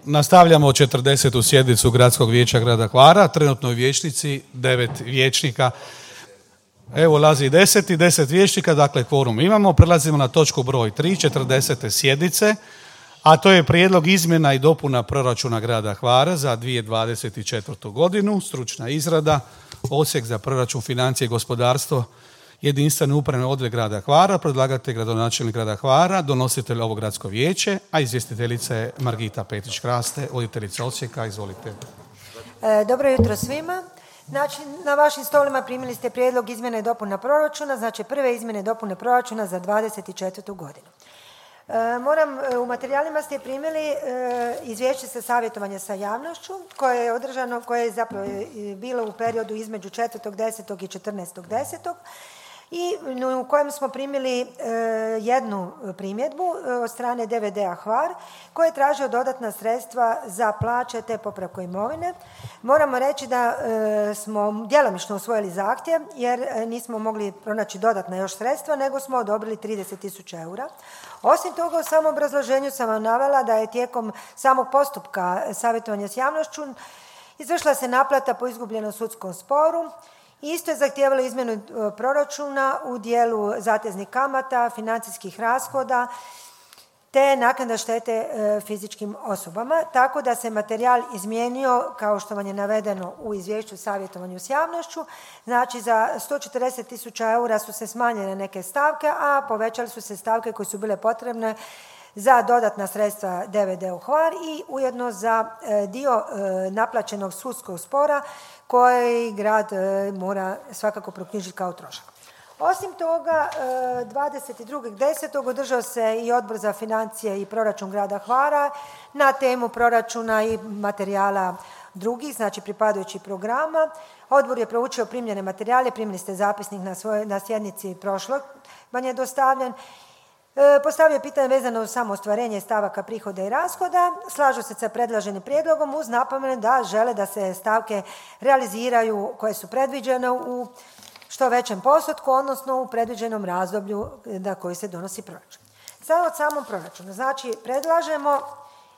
Nastavljamo 40. sjednicu Gradskog vijeća grada Hvara, trenutno u vijećnici 9 vijećnika. Evo ulazi 10 vijećnika, dakle kvorum imamo. Prelazimo na točku broj 3, 40. sjednice, a to je prijedlog izmjena i dopuna proračuna grada Hvara za 2024. godinu, stručna izrada, Odsjek za proračun, financije i gospodarstvo, jedinstveni upravni odjel grada Hvara, predlagatelj gradonačelnik grada Hvara, donositelj ovo gradsko vijeće, a izvjestiteljica je Margita Petrić-Kraste, voditeljica odsjeka. Izvolite. Dobro jutro svima. Znači, na vašim stolima primili ste prijedlog izmjene i dopuna proračuna, znači prve izmjene i dopune proračuna za 2024. godinu. U materijalima ste primili izvješće sa savjetovanja sa javnošću koje je održano, koje je zapravo bilo u periodu između 4.10. i 14.10. i u kojem smo primili jednu primjedbu od strane DVD-a Hvar koji je tražio dodatna sredstva za plaće te popravku imovine. Moramo reći da smo djelomično usvojili zahtjev jer nismo mogli pronaći dodatna još sredstva, nego smo odobrili 30.000 eura. Osim toga, u samom obrazloženju sam vam navela da je tijekom samog postupka savjetovanja s javnošću izvršila se naplata po izgubljenom sudskom sporu. Isto je zahtijevalo izmjenu proračuna u dijelu zateznih kamata, financijskih rashoda te naknada štete fizičkim osobama, tako da se materijal izmijenio kao što vam je navedeno u izvješću savjetovanju s javnošću. Znači za 140.000 eura su se smanjene neke stavke, a povećale su se stavke koje su bile potrebne za dodatna sredstva DVD u Hvar i ujedno za dio naplaćenog sudskog spora koji grad mora svakako proknjižiti kao trošak. Osim toga, 22.10. održao se i Odbor za financije i proračun grada Hvara na temu proračuna i materijala drugih, znači pripadajućih programa. Odbor je proučio primljene materijale, primili ste zapisnik na sjednici prošlog, vam je dostavljen. Postavio je pitanje vezano uz samo ostvarenje stavaka prihoda i rashoda. Slažu se sa predloženim prijedlogom uz napomenu da žele da se stavke realiziraju koje su predviđene u što većem postotku, odnosno u predviđenom razdoblju na koji se donosi proračun. Sada od samom proračunu. Znači, predlažemo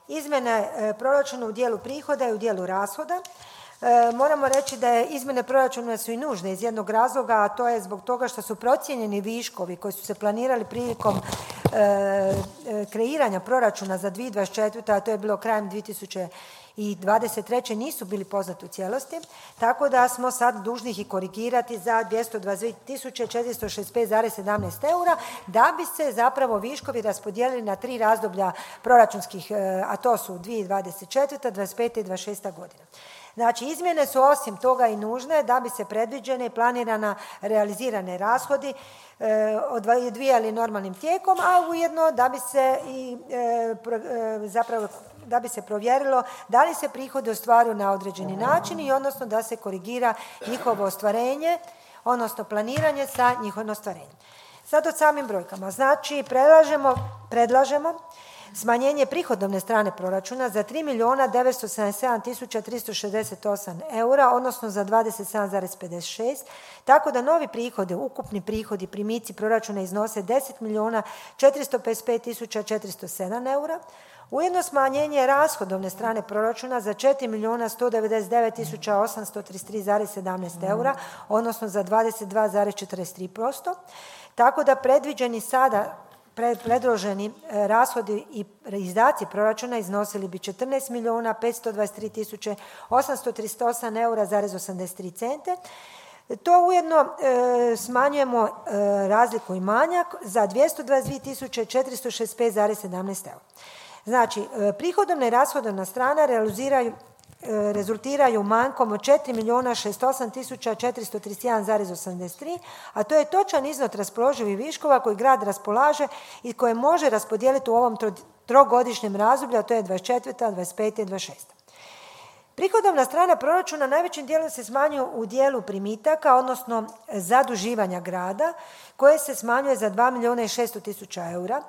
izmjene proračuna u dijelu prihoda i u dijelu rashoda. Moramo reći da je izmjene proračuna su i nužne iz jednog razloga, a to je zbog toga što su procijenjeni viškovi koji su se planirali prilikom kreiranja proračuna za 2024. a to je bilo krajem 2023. nisu bili poznati u cijelosti, tako da smo sad dužni ih korigirati za 222.465,17 eura da bi se zapravo viškovi raspodijelili na 3 razdoblja proračunskih, a to su 2024., 2025. i 2026. godina. Znači, izmjene su osim toga i nužne da bi se predviđene i planirana realizirane rashodi odvijali normalnim tijekom, a ujedno da bi se i da bi se provjerilo da li se prihodi ostvaruju na određeni način i odnosno da se korigira njihovo ostvarenje, odnosno planiranje sa njihovim ostvarenjem. Sad o samim brojkama. Znači, predlažemo smanjenje prihodovne strane proračuna za 3.977.368 eura, odnosno za 27,56, tako da novi prihodi, ukupni prihodi, primici proračuna iznose 10.455.407 eura, ujedno smanjenje rashodovne strane proračuna za 4.199.833,17 eura, odnosno za 22,43%, tako da predviđeni sada predloženi rashodi i izdaci proračuna iznosili bi 14.523.838 eura zarez 83 cente. To ujedno smanjujemo razliku i manjak za 222.465,17 eura. Znači, prihodovna i rashodovna strana rezultiraju manjkom od 4.608.431,83, a to je točan iznos raspoloživih viškova koji grad raspolaže i koje može raspodijeliti u ovom trogodišnjem razdoblju, a to je 24., 25. i 26. Prihodovna strana proračuna najvećim dijelom se smanjuje u dijelu primitaka, odnosno zaduživanja grada, koje se smanjuje za 2.600.000 eura,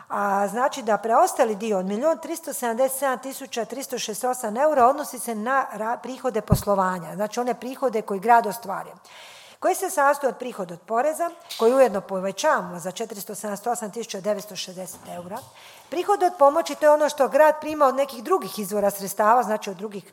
a znači da preostali dio od 1.377.368 eura odnosi se na prihode poslovanja, znači one prihode koje grad ostvaruje, koji se sastoji od prihoda od poreza, koji ujedno povećavamo za 478.960 eura, Prihod od pomoći, to je ono što grad prima od nekih drugih izvora sredstava, znači od drugih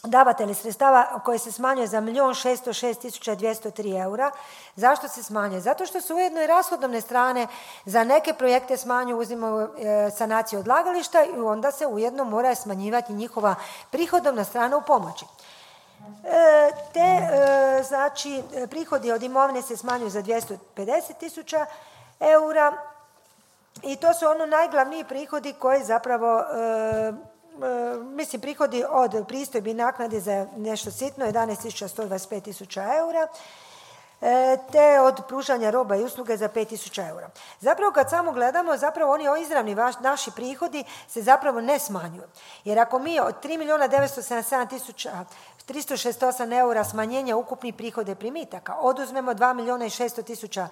davatelji sredstava koje se smanjuje za 1.606.203 eura. Zašto se smanjuje? Zato što se ujedno i rashodovne strane za neke projekte smanjuju, uzimaju sanaciju odlagališta i onda se ujedno mora smanjivati njihova prihodovna strana u pomoći. Znači, prihodi od imovine se smanjuju za 250.000 eura i to su ono najglavniji prihodi koji zapravo prihodi od pristojbi i naknade za nešto sitno 11.125.000 eura, te od pružanja roba i usluge za 5.000 eura. Zapravo kad samo gledamo, zapravo oni izravni naši prihodi se zapravo ne smanjuju. Jer ako mi od 3.977.368 eura smanjenja ukupnih prihoda i primitaka oduzmemo 2.600.000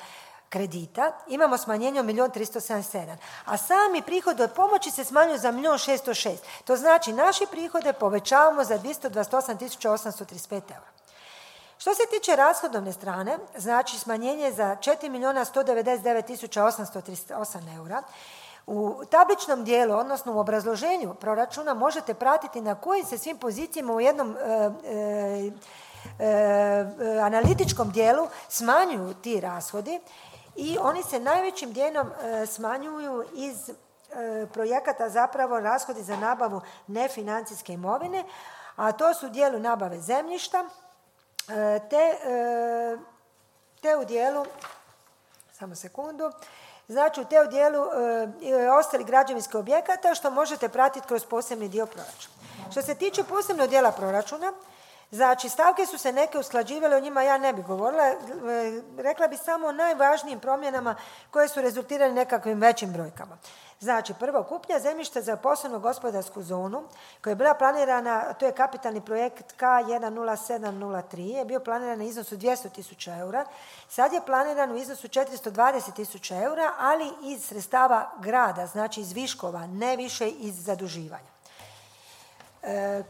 kredita, imamo smanjenje od 1.377, a sami prihodi od pomoći se smanjuju za 1.606. To znači naši prihode povećavamo za 228.835 eura. Što se tiče rashodovne strane, znači smanjenje za 4.199.838 eura, u tabličnom dijelu, odnosno u obrazloženju proračuna možete pratiti na kojim se svim pozicijama u jednom analitičkom dijelu smanjuju ti rashodi i oni se najvećim dijelom smanjuju iz projekata, zapravo rashodi za nabavu nefinancijske imovine, a to su u dijelu nabave zemljišta, te u dijelu, samo sekundu, znači u te u dijelu ostalih građevinskih objekata što možete pratiti kroz posebni dio proračuna. Što se tiče posebnog dijela proračuna, znači stavke su se neke usklađivale, o njima ja ne bih govorila, rekla bih samo o najvažnijim promjenama koje su rezultirale nekakvim većim brojkama. Znači, prvo, kupnja zemljišta za posebnu gospodarsku zonu koja je bila planirana, to je kapitalni projekt K10703, je bio planiran na iznosu 200.000 eura, sad je planiran u iznosu 420.000 eura, ali iz sredstava grada, znači iz viškova, ne više iz zaduživanja.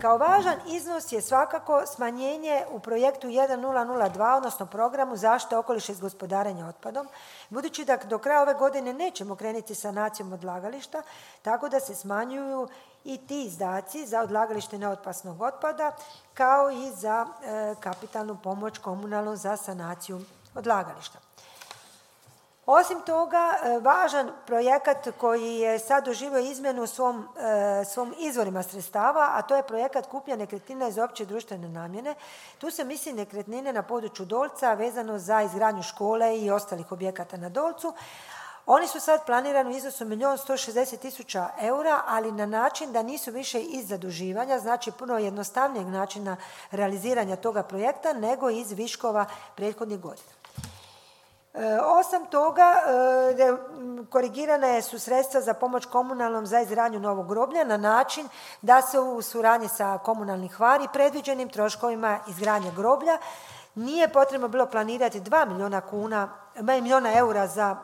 Kao važan iznos je svakako smanjenje u projektu 1002, odnosno programu zaštite okoliša i gospodarenja otpadom, budući da do kraja ove godine nećemo krenuti sanacijom odlagališta, tako da se smanjuju i ti izdaci za odlagalište neopasnog otpada, kao i za kapitalnu pomoć komunalnu za sanaciju odlagališta. Osim toga, važan projekat koji je sad doživio izmjenu u svom izvorima sredstava, a to je projekat kupnja nekretnina iz opće društvene namjene. Tu se misli nekretnine na području Dolca vezano za izgradnju škole i ostalih objekata na Dolcu. Oni su sad planirani u iznosu 1.160.000 eura, ali na način da nisu više iz zaduživanja, znači puno jednostavnijeg načina realiziranja toga projekta, nego iz viškova prethodnih godina. Osim toga, korigirane su sredstva za pomoć komunalnom za izgradnju novog groblja na način da se u suradnji sa komunalnih Hvar predviđenim troškovima izgradnje groblja nije potrebno bilo planirati 2 milijuna eura za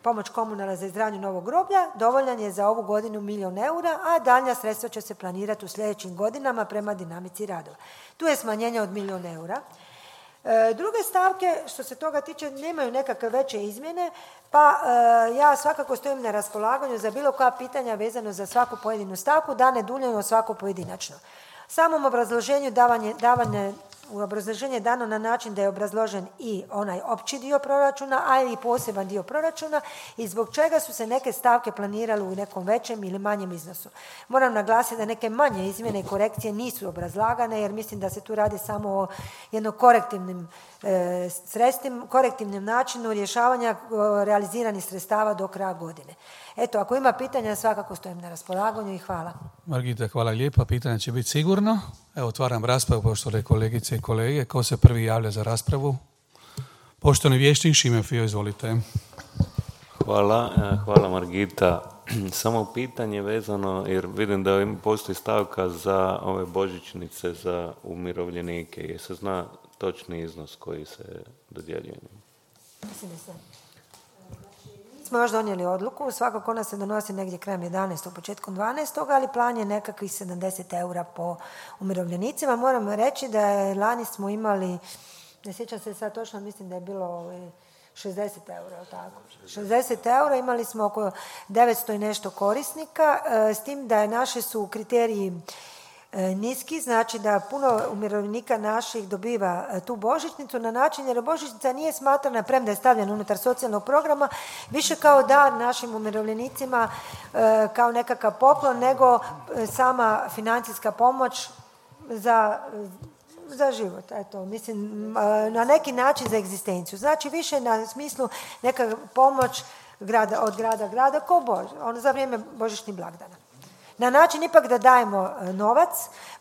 pomoć komunalna za izgradnju novog groblja, dovoljan je za ovu godinu 1 milijun eura, a daljnja sredstva će se planirati u sljedećim godinama prema dinamici radova. Tu je smanjenje od 1 milijun eura. Druge stavke, što se toga tiče, nemaju nekakve veće izmjene, pa ja svakako stojim na raspolaganju za bilo koja pitanja vezano za svaku pojedinu stavku, da ne duljimo svaku pojedinačno. Samom obrazloženju u obrazloženje je dano na način da je obrazložen i onaj opći dio proračuna, a i poseban dio proračuna i zbog čega su se neke stavke planirale u nekom većem ili manjem iznosu. Moram naglasiti da neke manje izmjene i korekcije nisu obrazlagane jer mislim da se tu radi samo o jednom korektivnim načinu rješavanja realiziranih sredstava do kraja godine. Eto, ako ima pitanja, svakako stojim na raspolaganju i hvala. Margita, hvala lijepa. Pitanja će biti sigurno. Evo, otvaram raspravu, poštovane kolegice i kolege. Ko se prvi javlja za raspravu? Poštovani vijećnik Šime Fio, izvolite. Hvala Margita. Samo pitanje vezano, jer vidim da postoji stavka za ove božićnice za umirovljenike. Je se zna točni iznos koji se dodjeljuje? Mislim da se. Smo još donijeli odluku, svakako ona se donosi negdje krajem 11. početkom 12. ali plan je nekakvih 70 eura po umirovljenicima. Moram reći da lani smo imali, ne sjećam se sad točno, mislim da je bilo 60 eura, jel tako? 60 eura, imali smo oko 900 i nešto korisnika, s tim da naši su kriteriji niski, znači da puno umirovljenika naših dobiva tu božićnicu na način jer božićnica nije smatrana, premda je stavljena unutar socijalnog programa, više kao dar našim umirovljenicima, kao nekakav poklon, nego sama financijska pomoć za život, eto, mislim, na neki način za egzistenciju. Znači više na smislu neka pomoć od grada ko za vrijeme božićnih blagdana. Na način ipak da dajemo novac,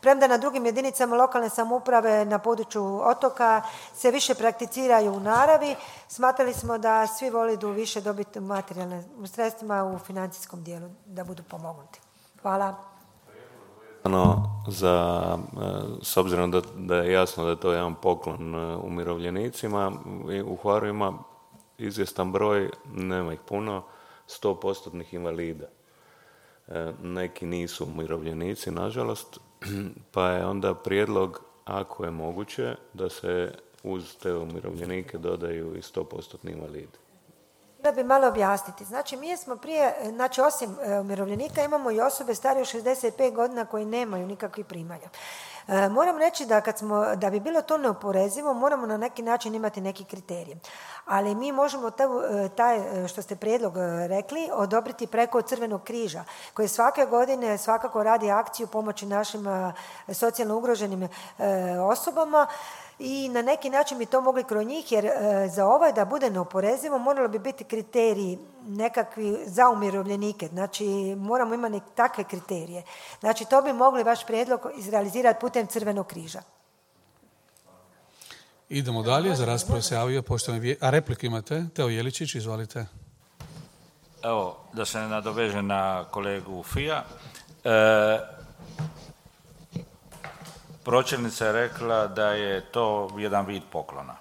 premda na drugim jedinicama lokalne samouprave na području otoka se više prakticiraju u naravi, smatrali smo da svi vole više dobiti materijalne sredstvima u financijskom dijelu, da budu pomognuti. Hvala. S obzirom da je jasno da je to jedan poklon umirovljenicima, u Hvaru ima izvjestan broj, nema ih puno, 100% invalida. Neki nisu umirovljenici, nažalost, pa je onda prijedlog, ako je moguće, da se uz te umirovljenike dodaju i 100% invalidi. Da bi malo objasniti. Znači, mi smo prije, znači osim umirovljenika imamo i osobe starije od 65 godina koji nemaju nikakvih primanja. Moram reći da bi bilo to neoporezivo, moramo na neki način imati neki kriterij. Ali mi možemo taj, što ste prijedlog rekli, odobriti preko Crvenog križa, koji svake godine svakako radi akciju pomoći našim socijalno ugroženim osobama i na neki način bi to mogli kroz njih, jer za ovo da bude neoporezivo moralo bi biti kriteriji nekakvi za umirovljenike, znači moramo imati takve kriterije. Znači to bi mogli vaš prijedlog izrealizirati putem Crvenog križa. Idemo dalje, za raspravu se javio poštovani a repliku imate? Teo Jeličić, izvolite. Evo, da se nadoveže na kolegu Fija. Pročelnica je rekla da je to jedan vid poklona.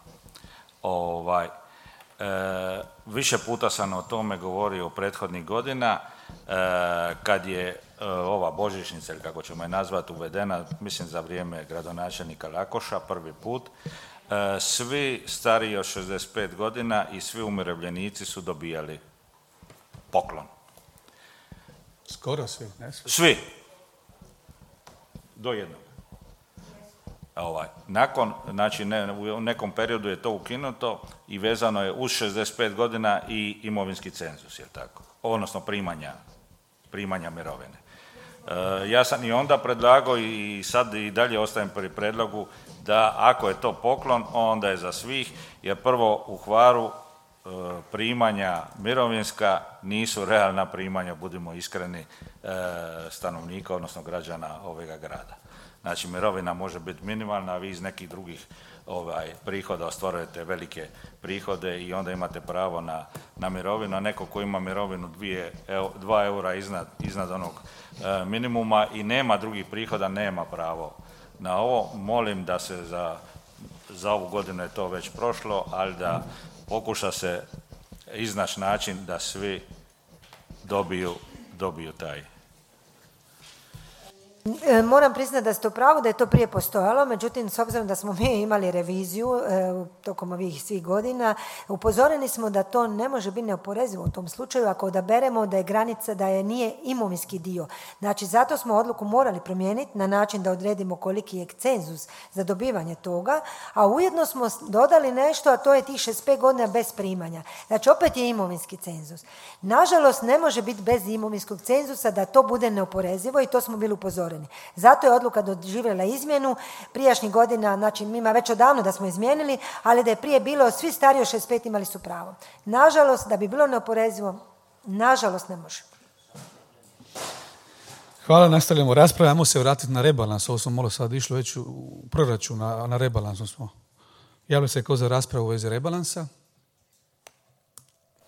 Više puta sam o tome govorio prethodnih godina, kad je ova božićnica, ili kako ćemo je nazvati, uvedena, mislim za vrijeme gradonačelnika Lakoša, prvi put, svi stariji od 65 godina i svi umirovljenici su dobijali poklon. Skoro svi, ne svi? Svi. Do jednog. Znači u nekom periodu je to ukinuto i vezano je uz 65 godina i imovinski cenzus, je tako? Odnosno primanja mirovine. Ja sam i onda predlagao i sad i dalje ostajem pri predlogu da ako je to poklon, onda je za svih, jer prvo u Hvaru primanja mirovinska nisu realna primanja, budimo iskreni, stanovnika, odnosno građana ovega grada. Znači, mirovina može biti minimalna, a vi iz nekih drugih prihoda ostvarujete velike prihode i onda imate pravo na mirovinu, a neko ko ima mirovinu 2 eura iznad onog minimuma i nema drugih prihoda, nema pravo na ovo. Molim da se za ovu godinu je to već prošlo, ali da pokuša se iznaći način da svi dobiju taj. Moram priznati da ste u pravu da je to prije postojalo, međutim s obzirom da smo mi imali reviziju tokom ovih svih godina, upozoreni smo da to ne može biti neoporezivo u tom slučaju ako odaberemo da je granica, da je nije imovinski dio. Znači zato smo odluku morali promijeniti na način da odredimo koliki je cenzus za dobivanje toga, a ujedno smo dodali nešto, a to je tih 65 godina bez primanja. Znači opet je imovinski cenzus. Nažalost ne može biti bez imovinskog cenzusa da to bude neoporezivo i to smo bili upozoreni. Zato je odluka doživjela izmjenu. Prijašnjih godina, znači mi ima već odavno da smo izmijenili, ali da je prije bilo svi stariji od 65 imali su pravo. Nažalost, da bi bilo neoporezivo, nažalost ne može. Hvala, nastavljamo raspravu. Ajmo se vratiti na rebalans. Ovo smo malo sad išlo već u proračun, na rebalansu smo. Javlja se ko za raspravu u vezi rebalansa.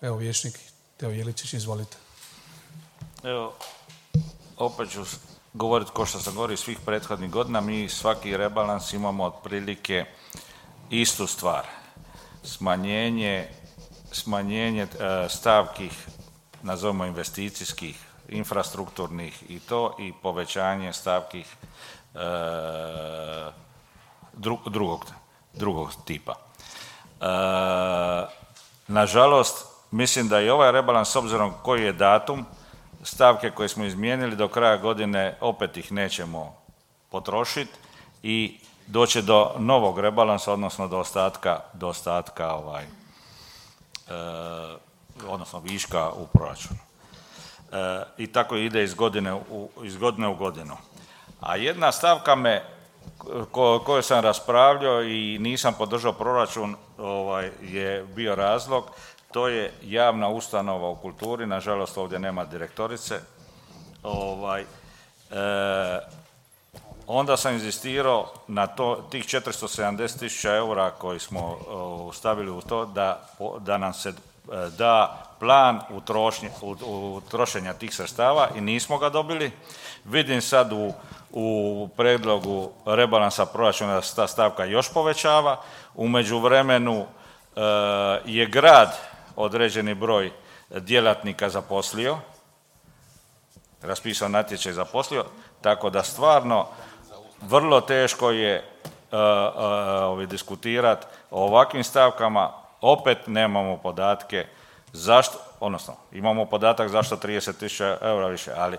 Evo, vijećnik Teo Jeličić, izvolite. Evo, opet ću govoriti ko što sam govorio svih prethodnih godina, mi svaki rebalans imamo otprilike istu stvar. Smanjenje stavki, nazovimo investicijskih, infrastrukturnih i povećanje stavki drugog tipa. Nažalost, mislim da i ovaj rebalans, s obzirom koji je datum, stavke koje smo izmijenili do kraja godine opet ih nećemo potrošiti i doće do novog rebalansa, odnosno do ostatka odnosno viška u proračunu. I tako ide iz godine u godinu. A jedna stavka koju sam raspravljao i nisam podržao proračun je bio razlog, to je javna ustanova u kulturi, nažalost ovdje nema direktorice. Onda sam inzistirao na tih 470.000 eura koji smo stavili u to da nam se da plan trošenja tih sredstava i nismo ga dobili. Vidim sad u prijedlogu rebalansa proračuna da se ta stavka još povećava. U međuvremenu je grad određeni broj djelatnika zaposlio, raspisao natječaj zaposlio, tako da stvarno vrlo teško je diskutirati o ovakvim stavkama. Opet nemamo podatke zašto, odnosno imamo podatak zašto 30.000 eura više, ali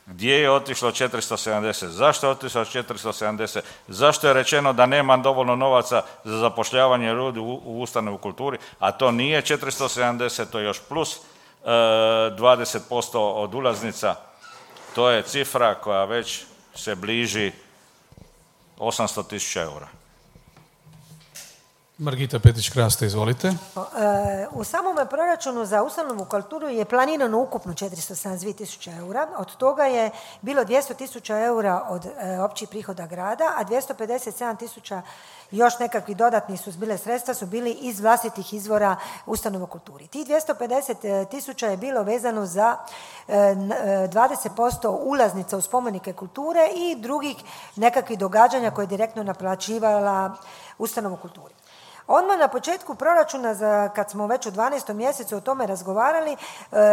gdje je otišlo 470, zašto je otišlo 470, zašto je rečeno da nema dovoljno novaca za zapošljavanje ljudi u ustanovi u kulturi, a to nije 470, to je još plus 20% od ulaznica, to je cifra koja već se bliži 800.000 eura. Margita Petić-Kraste, izvolite. U samom proračunu za ustanovu kulturu je planirano ukupno 472.000 eura, od toga je bilo 200.000 eura od općih prihoda grada, a 257.000 još nekakvi dodatni su bile sredstva, su bili iz vlastitih izvora ustanova kulturi. Tih 250.000 je bilo vezano za 20% ulaznica u spomenike kulture i drugih nekakvih događanja koje je direktno naplaćivala ustanova kulturi. Odmah na početku proračuna, kad smo već u 12. mjesecu o tome razgovarali,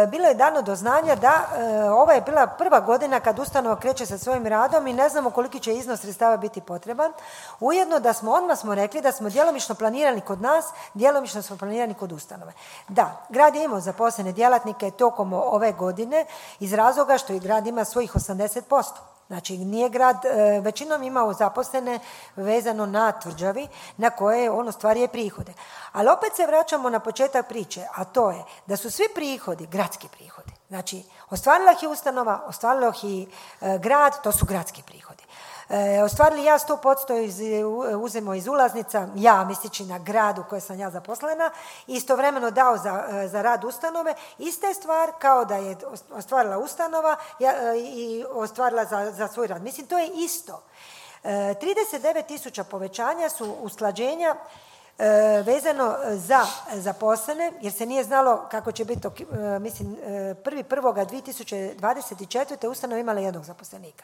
bilo je dano do znanja da ova je bila prva godina kad ustanova kreće sa svojim radom i ne znamo koliki će iznos sredstava biti potreban. Ujedno da odmah smo rekli da smo djelomično planirani kod nas, djelomično smo planirani kod ustanove. Da, grad je imao zaposlene djelatnike tokom ove godine iz razloga što i grad ima svojih 80%. Znači, nije grad većinom imao zaposlene vezano na tvrđavi na koje on ostvaruje prihode. Ali opet se vraćamo na početak priče, a to je da su svi prihodi gradski prihodi. Znači, ostvarila ih je ustanova, ostvarila ih i grad, to su gradski prihodi. Ostvarili ja 100% uzemo iz ulaznica, ja mislići na grad u kojoj sam ja zaposlena, istovremeno dao za rad ustanove, ista je stvar kao da je ostvarila ustanova i ostvarila za svoj rad. Mislim, to je isto. 39.000 povećanja su usklađenja vezano za zaposlene, jer se nije znalo kako će biti, mislim, 1.1.2024. ustanova imala jednog zaposlenika.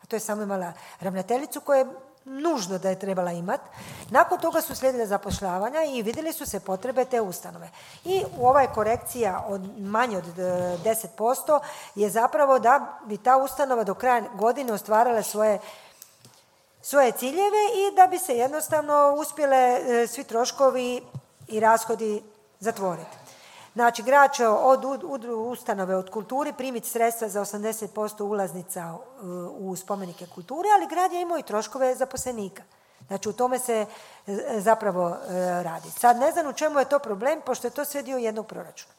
To je samo imala ravnateljicu koja je nužno da je trebala imati. Nakon toga su slijedile zapošljavanja i vidjeli su se potrebe te ustanove. I ova je korekcija od manje od 10% je zapravo da bi ta ustanova do kraja godine ostvarala svoje ciljeve i da bi se jednostavno uspjele svi troškovi i rashodi zatvoriti. Znači, grad će od ustanove od kulturi primiti sredstva za 80% ulaznica u spomenike kulture, ali grad je imao i troškove zaposlenika. Znači, u tome se zapravo radi. Sad ne znam u čemu je to problem, pošto je to sve dio jednog proračuna.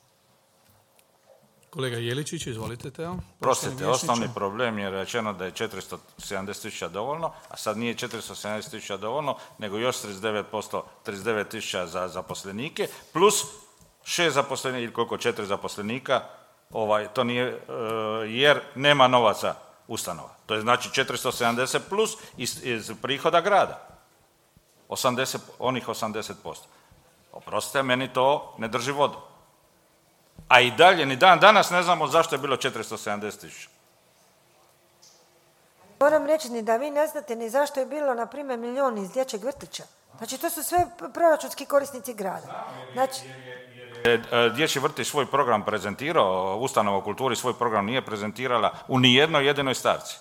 Kolega Jeličić, izvolite, Teo. Prostite, osnovni problem je rečeno da je 470.000 dovoljno, a sad nije 470.000 dovoljno, nego još 39.000 za zaposlenike, plus 6 zaposlenika ili koliko, 4 zaposlenika, to nije, jer nema novaca ustanova. To je znači 470 plus iz prihoda grada. Onih 80%. Oprostite, meni to ne drži vodu. A i dalje, ni dan danas ne znamo zašto je bilo 470.000. Moram reći ni da vi ne znate ni zašto je bilo, na primjer, 1 milijun iz dječjeg vrtića. Znači, to su sve proračunski korisnici grada. Znači, Dječji vrtić svoj program prezentirao, ustanova u kulturi svoj program nije prezentirala u nijednoj jedinoj stavci.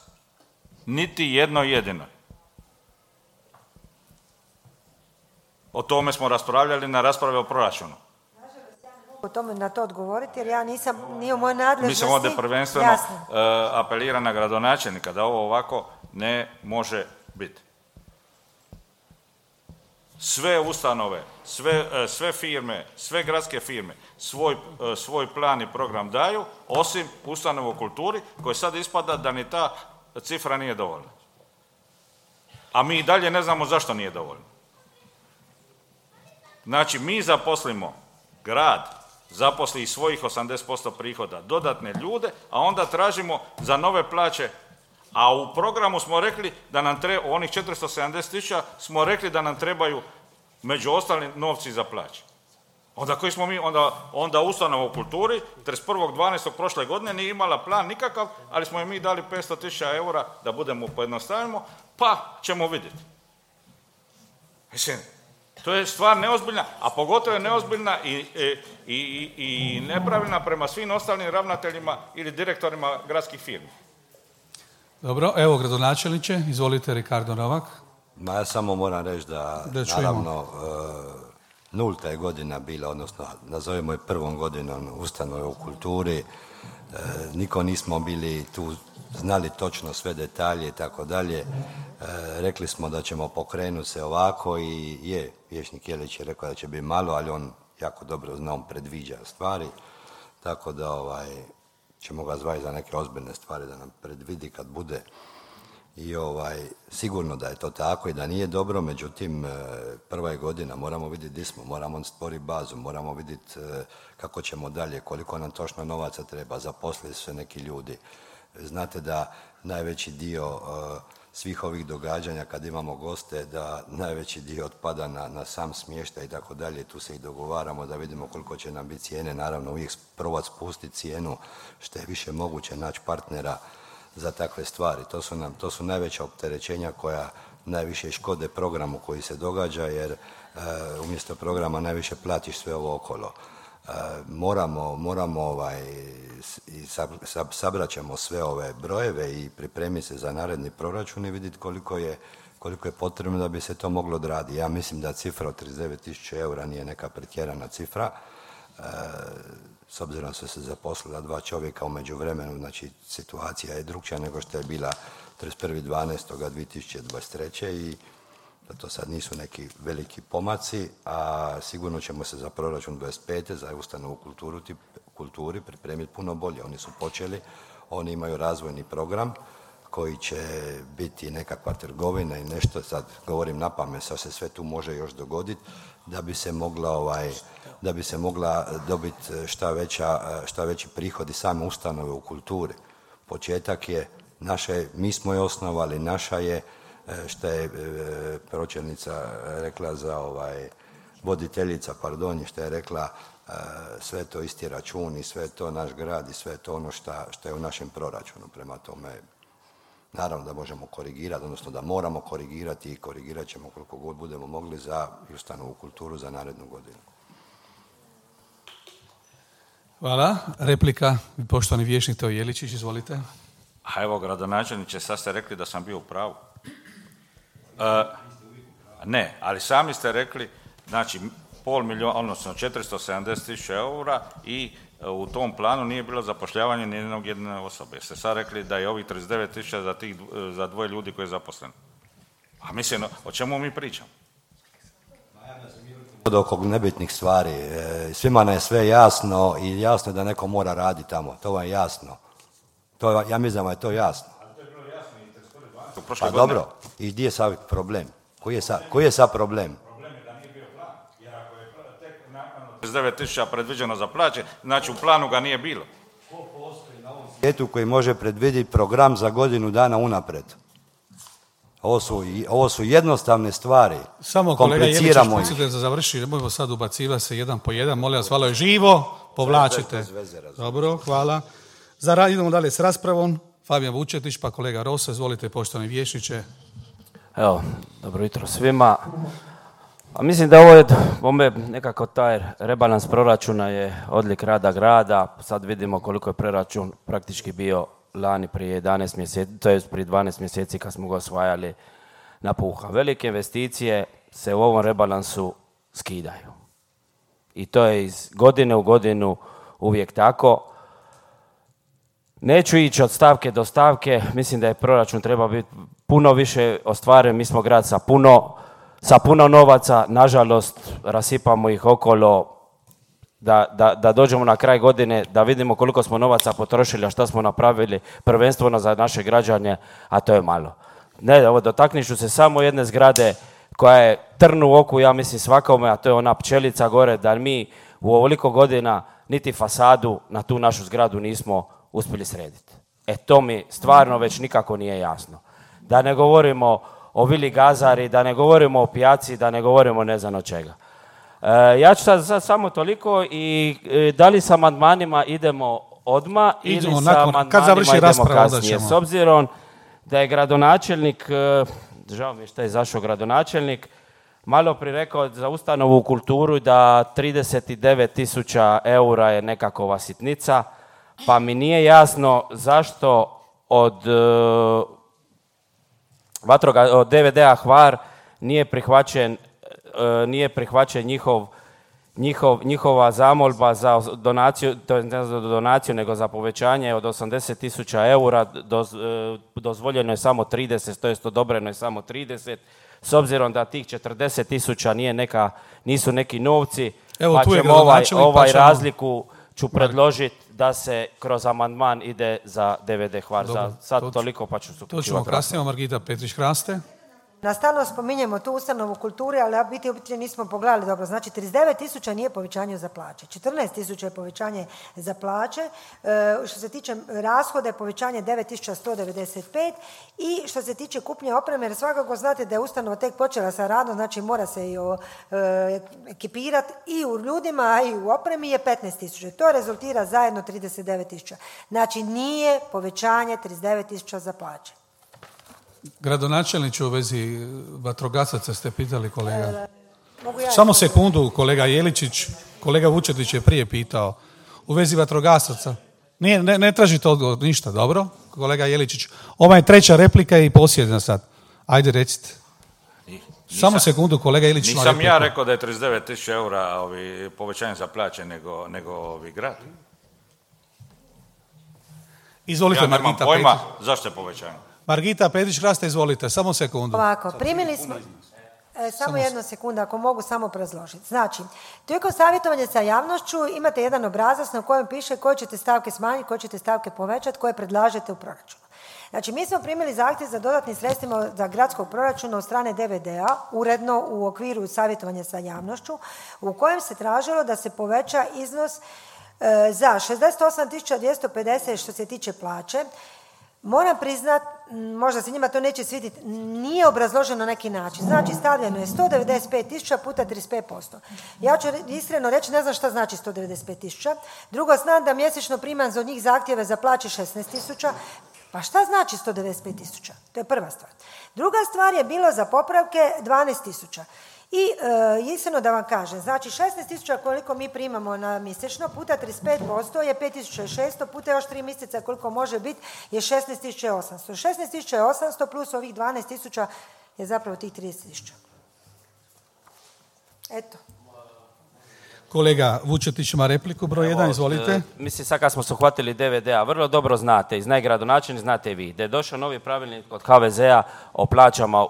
Niti jednoj jedinoj. O tome smo raspravljali na rasprave o proračunu. o tome na to odgovoriti, jer ja nije u mojoj nadležnosti. Mislim ovdje prvenstveno apelira na gradonačelnika da ovo ovako ne može biti. Sve ustanove, sve firme, sve gradske firme svoj plan i program daju, osim ustanova u kulturi, koje sad ispada da ni ta cifra nije dovoljna. A mi i dalje ne znamo zašto nije dovoljno. Znači, mi zaposlimo, grad zaposli iz svojih 80% prihoda dodatne ljude, a onda tražimo za nove plaće. A u programu smo rekli da nam treba, onih 470.000 smo rekli da nam trebaju među ostalim novci za plaće. Onda koji smo mi, onda ustanova u kulturi 31.12. prošle godine nije imala plan nikakav, ali smo im mi dali 500.000 eura da budemo pojednostavimo, pa ćemo vidjeti. Mislim, to je stvar neozbiljna, a pogotovo je neozbiljna i nepravilna prema svim ostalim ravnateljima ili direktorima gradskih firmi. Dobro, evo gradonačelniče, izvolite Ricardo Novak. Ja samo moram reći da naravno nulta je godina bila, odnosno nazovemo je prvom godinom ustanove u kulturi. Niko nismo bili tu, znali točno sve detalje i tako dalje. Rekli smo da ćemo pokrenuti se ovako i vijećnik Jelić je rekao da će biti malo, ali on jako dobro zna, on predviđa stvari, tako da ćemo ga zvati za neke ozbiljne stvari da nam predvidi kad bude. I sigurno da je to tako i da nije dobro, međutim prva je godina, moramo vidjeti gdje smo, moramo stvoriti bazu, moramo vidjeti kako ćemo dalje, koliko nam točno novaca treba, zaposliti se neki ljudi. Znate da najveći dio svih ovih događanja kad imamo goste, da najveći dio otpada na sam smještaj i tako dalje, tu se i dogovaramo da vidimo koliko će nam biti cijene, naravno uvijek probati spustiti cijenu što je više moguće, naći partnera za takve stvari. To su najveća opterećenja koja najviše škode programu koji se događa, jer umjesto programa najviše platiš sve ovo okolo. Moramo sabrat ćemo sve ove brojeve i pripremiti se za naredni proračun i vidjeti koliko je potrebno da bi se to moglo odraditi. Ja mislim da cifra od 39.000 eura nije neka pretjerana cifra. S obzirom su se zaposlila 2 čovjeka u međuvremenu, znači situacija je drukčija nego što je bila 31.12.2023. i da to sad nisu neki veliki pomaci, a sigurno ćemo se za proračun 25. za ustanovu kulturi pripremiti puno bolje. Oni su počeli, oni imaju razvojni program koji će biti nekakva trgovina i nešto, sad govorim na pamet, sad se sve tu može još dogoditi, da bi se mogla dobiti šta veći prihodi same ustanove u kulturi. Početak je, mi smo je osnovali, naša je, što je pročelnica rekla voditeljica, što je rekla, sve to isti račun i sve to naš grad i sve to ono što je u našem proračunu. Prema tome, naravno da možemo korigirati, odnosno da moramo korigirati i korigirat ćemo koliko god budemo mogli za ustanovu kulturu za narednu godinu. Hvala. Replika, poštovani vijećnik Teo Jeličić, izvolite. A evo, gradonačelniče, sad ste rekli da sam bio u pravu. Ne, ali sami ste rekli, znači, 470.000 eura i u tom planu nije bilo zapošljavanje ni jedne osobe. Jeste sad rekli da je ovih 39.000 za 2 ljudi koji je zaposlen. A mislim, o čemu mi pričamo? Oko nebitnih stvari. Svima nam je sve jasno i jasno je da neko mora raditi tamo. To vam je jasno. Ja mislim da je to jasno. Ali to je bilo jasno i 31.12. Pa dobro, i gdje je sad problem? Koji je sad problem? Problem je da nije bio plan. Jer ako je tek nakon 39.000 predviđeno za plaće, znači u planu ga nije bilo. Ko postoji na ovom svijetu koji može predvidjeti program za godinu dana unaprijed? Ovo su jednostavne stvari. Samo kolega Jeličić, da završi, nemojmo sad ubacivati se jedan po jedan. Molim vas, hvala je živo, povlačite. Dobro, hvala. Idemo dalje s raspravom. Fabijan Vučetić, pa kolega Rosa, izvolite poštovani vijećniče. Evo, dobro jutro svima. A mislim da ovo je nekako taj rebalans proračuna je odlik rada grada. Sad vidimo koliko je proračun praktički bio lani prije 11 mjeseci, to je prije 12 mjeseci kad smo ga osvajali na puha. Velike investicije se u ovom rebalansu skidaju. I to je iz godine u godinu uvijek tako. Neću ići od stavke do stavke, mislim da je proračun treba biti puno više ostvaren, mi smo grad sa puno novaca, nažalost rasipamo ih okolo, da dođemo na kraj godine, da vidimo koliko smo novaca potrošili, a šta smo napravili prvenstveno za naše građane, a to je malo. Ne, dotaknit ću se samo jedne zgrade koja je trn u oku, ja mislim svakome, a to je ona pčelica gore, da mi u ovoliko godina niti fasadu na tu našu zgradu nismo uspjeli srediti. To mi stvarno već nikako nije jasno. Da ne govorimo o Vili Gazari, da ne govorimo o pijaci, da ne govorimo ne znam od čega. Ja ću sad samo toliko i da li sa amandmanima idemo odmah ili sa amandmanima idemo kasnije. S obzirom da je gradonačelnik, žao mi je što je izašao gradonačelnik, malo prije rekao za ustanovu u kulturu da 39.000 eura je nekakova sitnica, pa mi nije jasno zašto od DVD-a Hvar nije prihvaćen njihova zamolba za donaciju, to je ne za donaciju, nego za povećanje od 80.000 eura, dozvoljeno je samo 30, to jest odobreno je samo 30, s obzirom da tih 40.000 nisu neki novci, evo, pa ćemo ovaj razliku ću predložiti da se kroz amandman ide za DVD Hvar. Sad toliko, pa ću se uključivati. To ćemo kasnije, Margita Petrić-Hraste. Stalno spominjemo tu ustanovu kulture, ali biti nismo pogledali dobro. Znači, 39.000 nije povećanje za plaće. 14.000 je povećanje za plaće. Što se tiče rashoda je povećanje 9.195 i što se tiče kupnje opreme, jer svakako znate da je ustanova tek počela sa radom, znači mora se i ekipirati i u ljudima i u opremi je 15.000. To rezultira zajedno 39.000. Znači, nije povećanje 39.000 za plaće. Gradonačelniče, u vezi vatrogasaca ste pitali, kolega. Samo sekundu, kolega Jeličić. Kolega Vučetić je prije pitao. U vezi vatrogasaca. Ne tražite odgovor, ništa, dobro? Kolega Jeličić. Ova je treća replika i posljednja sad. Ajde, recite. Samo sekundu, kolega Jeličić. Nisam ja rekao da je 39.000 eura povećanje za plaće, nego grad. Izvolite, Margita. Ja nemam pojma zašto je povećanje. Margita Petrić-Hraste, izvolite, samo sekundu. Ovako, primili smo... Samo jednu sekundu, ako mogu samo predložiti. Znači, tijekom savjetovanja sa javnošću imate jedan obrazac na kojem piše koje ćete stavke smanjiti, koje ćete stavke povećati, koje predlažete u proračunu. Znači, mi smo primili zahtjev za dodatnim sredstvima za gradskog proračuna od strane DVD-a, uredno u okviru savjetovanja sa javnošću, u kojem se tražilo da se poveća iznos za 68.250 što se tiče plaće. Moram priznat, možda se njima to neće svidjeti, nije obrazloženo na neki način. Znači, stavljeno je 195.000 puta 35%. Ja ću iskreno reći, ne znam šta znači 195.000. Drugo, znam da mjesečno primam za njih zahtjeve za plaće 16.000. Pa šta znači 195.000? To je prva stvar. Druga stvar je bilo za popravke 12.000. I iskreno da vam kažem, znači 16.000 koliko mi primamo na mjesečno puta 35% je 5.600 puta još 3 mjeseca koliko može biti je 16.800. 16.800 plus ovih 12.000 je zapravo tih 30.000. Eto. Kolega Vučetić ima repliku, broj 1, izvolite. Mislim, sad kad smo se uhvatili DVD-a, vrlo dobro znate, i zna gradonačelnik, znate i vi, da je došao novi pravilnik od HVZ-a o plaćama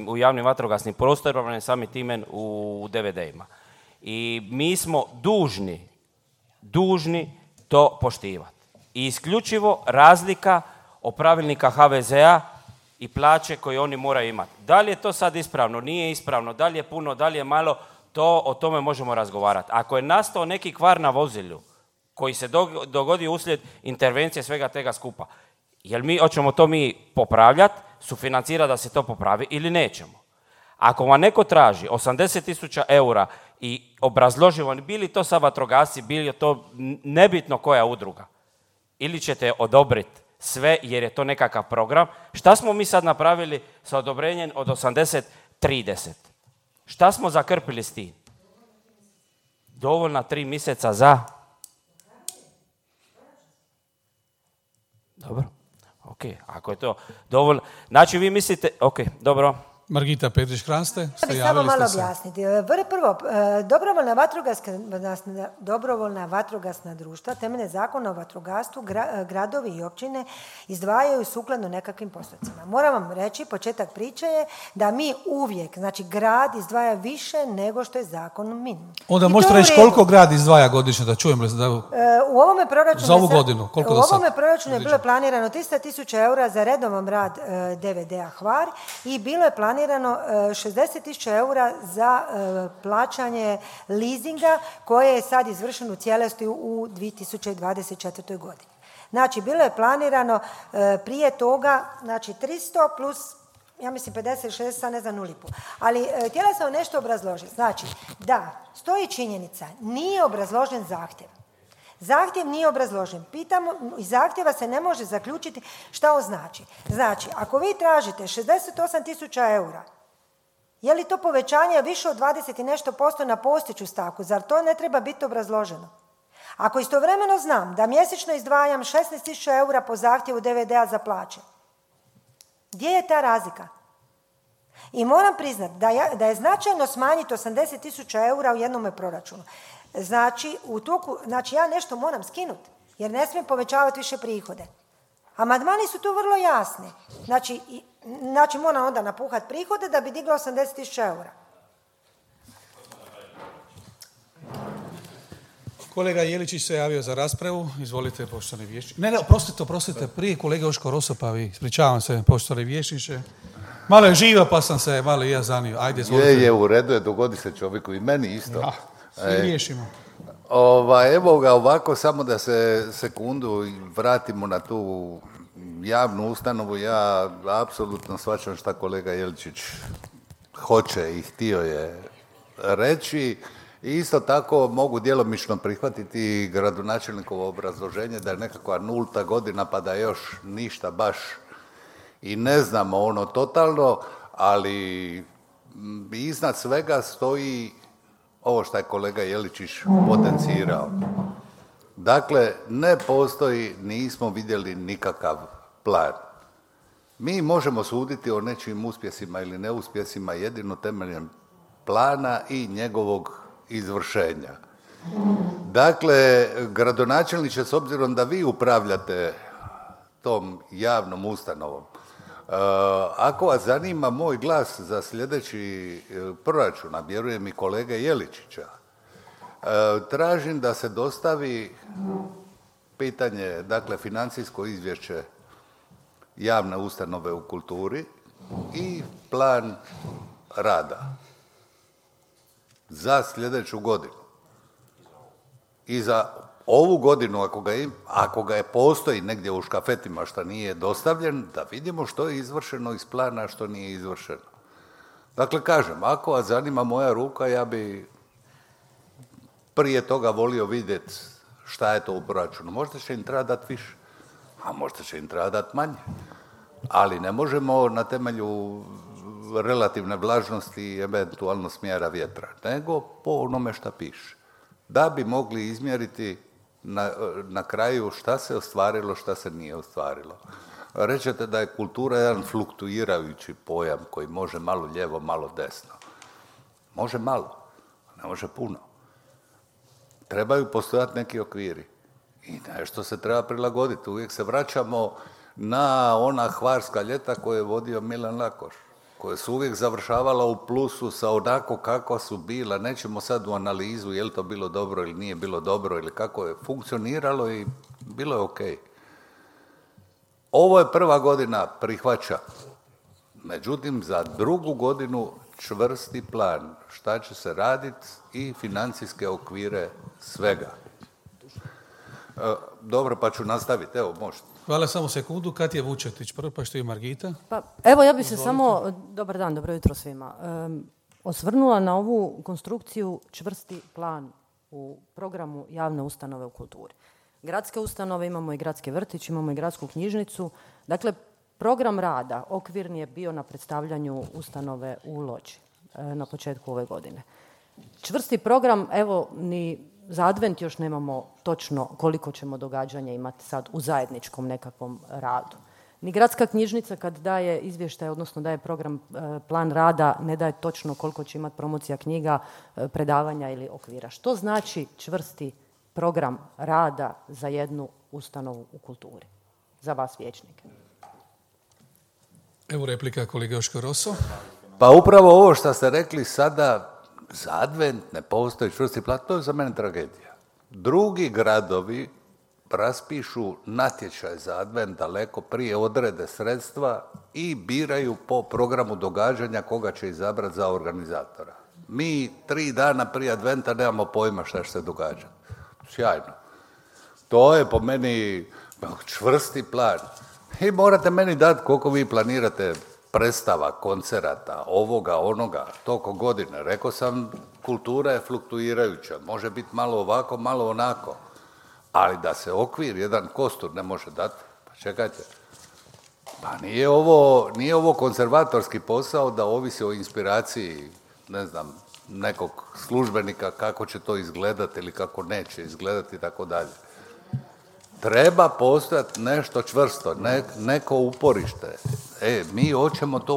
u javnim vatrogasnim prostorima, sami time u DVD-ima. I mi smo dužni to poštivati. I isključivo razlika o pravilnika HVZ-a i plaće koje oni moraju imati. Da li je to sad ispravno, nije ispravno, da li je puno, da li je malo, o tome možemo razgovarati. Ako je nastao neki kvar na vozilu koji se dogodio uslijed intervencije svega tega skupa, hoćemo to mi popravljati, sufinancirati da se to popravi ili nećemo? Ako vam neko traži 80.000 eura i obrazloživo, bili to sad vatrogasci, bili to nebitno koja udruga, ili ćete odobriti sve jer je to nekakav program, šta smo mi sad napravili sa odobrenjem od 80-30? Šta smo zakrpili s tim? Dovoljna 3 mjeseca za... Dobro. Ok, ako je to dovoljno... Znači vi mislite... Ok, dobro. Margita Petrić-Hranste, Ja bih samo malo objasniti. Prvo, dobrovoljna vatrogasna društva temeljem Zakona o vatrogastvu gradovi i općine izdvajaju sukladno nekakvim postocima. Moram vam reći, početak priče je da mi uvijek, znači grad izdvaja više nego što je zakonom minimum. Onda možete reći koliko grad izdvaja godišnje, da čujem u ovome proračunu za ovu godinu. U ovome proračunu je bilo planirano 300.000 eura za redovan rad DVD-a Hvar i bilo je planirano 60.000 eura za plaćanje leasinga koje je sad izvršeno u cijelosti u 2024. godini. Znači, bilo je planirano prije toga, znači 300 plus, ja mislim 50, 60, sad ne znam u lipu. Ali htjela sam nešto obrazložiti. Znači, da, stoji činjenica, nije obrazložen zahtjev. Zahtjev nije obrazložen. Pitamo, iz zahtjeva se ne može zaključiti šta on znači. Znači, ako vi tražite 68.000 eura, je li to povećanje više od 20 i nešto % na postojeću stavku? Zar to ne treba biti obrazloženo? Ako istovremeno znam da mjesečno izdvajam 16.000 eura po zahtjevu DVD-a za plaće, gdje je ta razlika? I moram priznati da je značajno smanjiti 80.000 eura u jednome proračunu. Znači, ja nešto moram skinuti, jer ne smijem povećavati više prihode. Amandmani su tu vrlo jasni. Znači moram onda napuhati prihode da bi digla 80.000 eura. Kolega Jeličić se javio za raspravu. Izvolite, poštovani vijećniče. Ne, oprostite, prije kolega Joško Rosopavi. Ispričavam se, poštovani vijećniče. Malo je živa, pa sam se malo i ja zanio. Ajde, izvolite. Je, u redu je, dogodi se čovjeku i meni isto. Ja, svi riješimo. Evo ga ovako, samo da se sekundu vratimo na tu javnu ustanovu. Ja apsolutno shvaćam šta kolega Jeličić hoće i htio je reći. I isto tako mogu djelomično prihvatiti gradonačelnikovo obrazloženje da je nekakva 0. godina pa da još ništa baš i ne znamo ono totalno, ali iznad svega stoji ovo što je kolega Jeličić potencirao. Dakle, ne postoji, nismo vidjeli nikakav plan. Mi možemo suditi o nečijim uspjesima ili neuspjesima jedino temeljem plana i njegovog izvršenja. Dakle, gradonačelniče, s obzirom da vi upravljate tom javnom ustanovom, ako vas zanima moj glas za sljedeći proračun, a vjerujem i kolege Jeličića, tražim da se dostavi pitanje, dakle, financijsko izvješće javne ustanove u kulturi i plan rada za sljedeću godinu. I za ovu godinu, ako ga postoji negdje u škafetima što nije dostavljen, da vidimo što je izvršeno iz plana, a što nije izvršeno. Dakle, kažem, ako vas zanima moja ruka, ja bi prije toga volio vidjeti šta je to u proračunu. Možda će im treba dati više, a možda će im treba dati manje. Ali ne možemo na temelju relativne vlažnosti i eventualno smjera vjetra, nego po onome šta piše. Da bi mogli izmjeriti na kraju šta se ostvarilo, šta se nije ostvarilo. Rećete da je kultura jedan fluktuirajući pojam koji može malo lijevo, malo desno. Može malo, ne može puno. Trebaju postojati neki okviri i nešto se treba prilagoditi. Uvijek se vraćamo na ona hvarska ljeta koje je vodio Milan Lakoš, koje su uvijek završavala u plusu sa onako kako su bila. Nećemo sad u analizu je li to bilo dobro ili nije bilo dobro ili kako je funkcioniralo i bilo je ok. Ovo je prva godina, prihvaća. Međutim, za drugu godinu čvrsti plan šta će se raditi i financijske okvire svega. Dobro, pa ću nastaviti. Evo, možete. Hvala, samo sekundu. Katja Vučetić prvo, pa što je Margita. Pa, evo, ja bih se samo, dobar dan, dobro jutro svima, osvrnula na ovu konstrukciju čvrsti plan u programu javne ustanove u kulturi. Gradske ustanove, imamo i gradski vrtić, imamo i gradsku knjižnicu. Dakle, program rada okvirni je bio na predstavljanju ustanove u Loči na početku ove godine. Čvrsti program, evo, ni za advent još nemamo točno koliko ćemo događanja imati sad u zajedničkom nekakvom radu. Ni gradska knjižnica kad daje izvještaj, odnosno daje program, plan rada, ne daje točno koliko će imati promocija knjiga, predavanja ili okvira. Što znači čvrsti program rada za jednu ustanovu u kulturi? Za vas vijećnike. Evo replika kolega Joško Rosso. Pa upravo ovo što ste rekli sada, za advent ne postoji čvrsti plan, to je za mene tragedija. Drugi gradovi raspišu natječaj za advent daleko prije, odrede sredstva i biraju po programu događanja koga će izabrati za organizatora. Mi 3 dana prije adventa nemamo pojma šta će se događati. Sjajno. To je po meni čvrsti plan. I morate meni dati koliko vi planirate predstava, koncerata, ovoga, onoga, toliko godine. Rekao sam, kultura je fluktuirajuća. Može biti malo ovako, malo onako. Ali da se okvir, jedan kostur ne može dati, pa čekajte. Pa nije ovo konzervatorski posao da ovisi o inspiraciji, ne znam, nekog službenika kako će to izgledati ili kako neće izgledati i tako dalje. Treba postojati nešto čvrsto, neko uporište. Mi hoćemo to